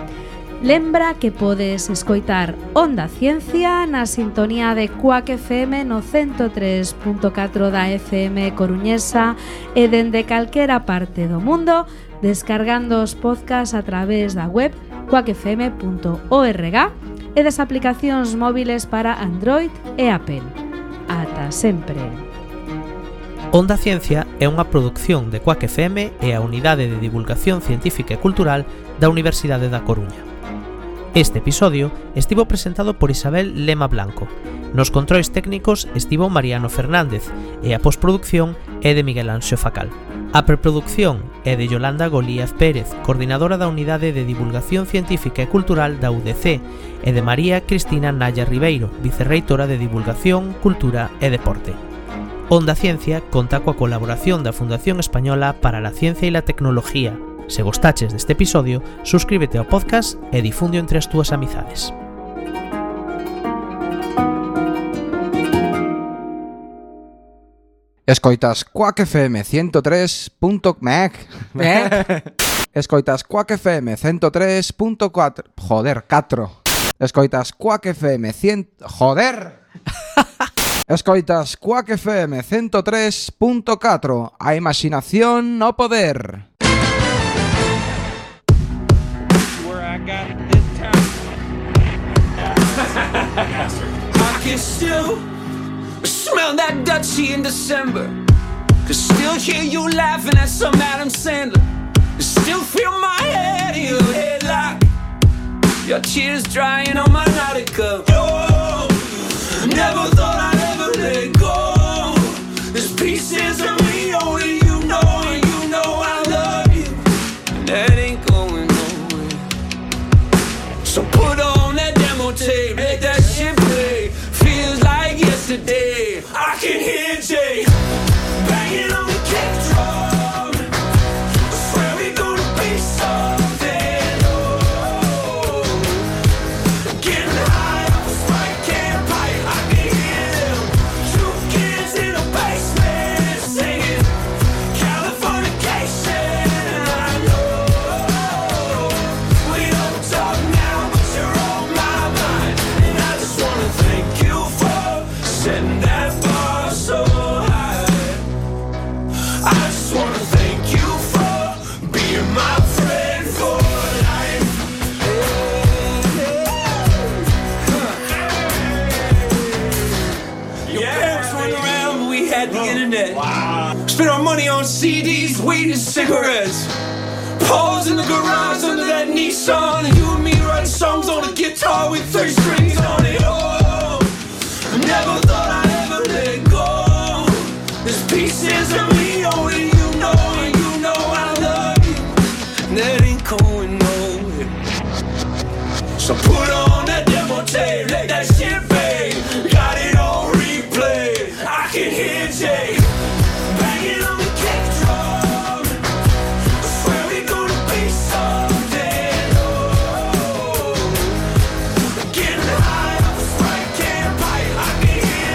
Lembra que podes escoitar Onda Ciencia na sintonía de Cuac FM no 103.4 da FM coruñesa e dende calquera parte do mundo, descargando os podcasts a través da web cuacfm.org e das aplicacións móviles para Android e Apple. Ata sempre. Onda Ciencia é unha produción de Cuac FM e a Unidade de Divulgación Científica e Cultural da Universidade da Coruña. Este episodio estivo presentado por Isabel Lema Blanco. Nos controis técnicos estivo Mariano Fernández e a postproducción é de Miguel Anxo Facal. A preproducción é de Yolanda Golíaz Pérez, coordinadora da Unidade de Divulgación Científica e Cultural da UDC, e de María Cristina Naya Ribeiro, vicerreitora de Divulgación, Cultura e Deporte. Onda Ciencia conta coa colaboración da Fundación Española para la Ciencia e la Tecnología. Se gostaches deste episodio, suscríbete ao podcast e difundio entre as túas amizades. Escoitas Cuac FM 103. Escoitas Cuac FM 103.4. Joder, 4. Escoitas Cuac FM 100. Joder. Escoitas Cuac FM 103.4. A imaginación no poder. I can still smell that Dutchie in December. Can still hear you laughing at some Adam Sandler. Can still feel my head in your headlock. Your tears drying on my Nautica. Oh, never thought I'd ever let go. There's pieces of me only you know, and you know I love you. And that ain't going nowhere. So put on that demo tape, let that shit play. Feels like yesterday. I can hear Jay banging on the kick drum. I swear we gonna be something. Oh, getting high off a spike can pipe. I can hear them 2 kids in a basement singing Californication. I know we don't talk now, but you're on my mind. And I just wanna thank you for setting that bar so high. I just wanna thank you for being my friend for life. Your parents weren't around, but we had the internet. Spent our money on CDs, weed, and cigarettes. Pause in the garage under that Nissan, and you and me writing songs on a guitar with 3 strings on it. Oh, never thought I'd ever let go. There's pieces of me only you know, and you know I love you. And that ain't going nowhere. So put on that demo tape, let that shit play. Got it on replay. I can hear Jay banging on the kick drum. I swear we gonna be something. Oh, getting high off a Sprite can pipe. I can hear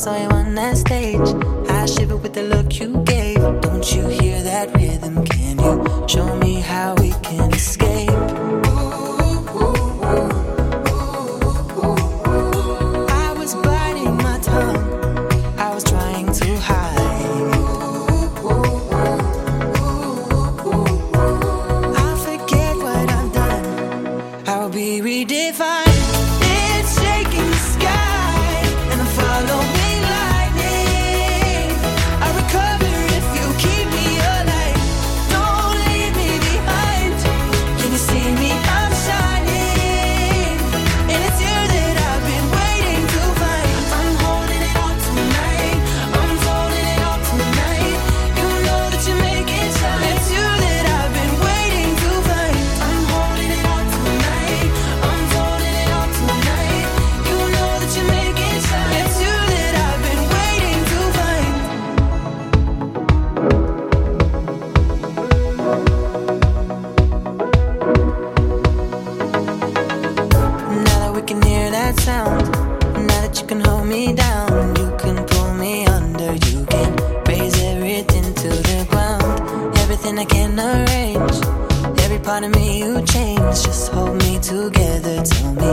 saw you on that stage. I shiver with the look you gave. Don't you hear that rhythm? Can you show me how we can escape? I was biting my tongue, I was trying to hide. I'll forget what I've done, I'll be redefined. It's shaking the sky and I'm following lightning. I recover if you keep me alive. Don't leave me behind. Can you see me? I'm shining, and it's you that I've been waiting to find. I'm holding it all tonight, I'm holding it all tonight. You know that you make it shine. It's you that I've been waiting to find. I'm holding it all tonight, I'm holding it all tonight. You know that you make it shine. It's you that I've been waiting to find. Now that we can hear that sound, now that you can hold me down, you can pull me under, you can raise everything to the ground. Everything I can arrange, every part of me you change. Just hold me together, tell me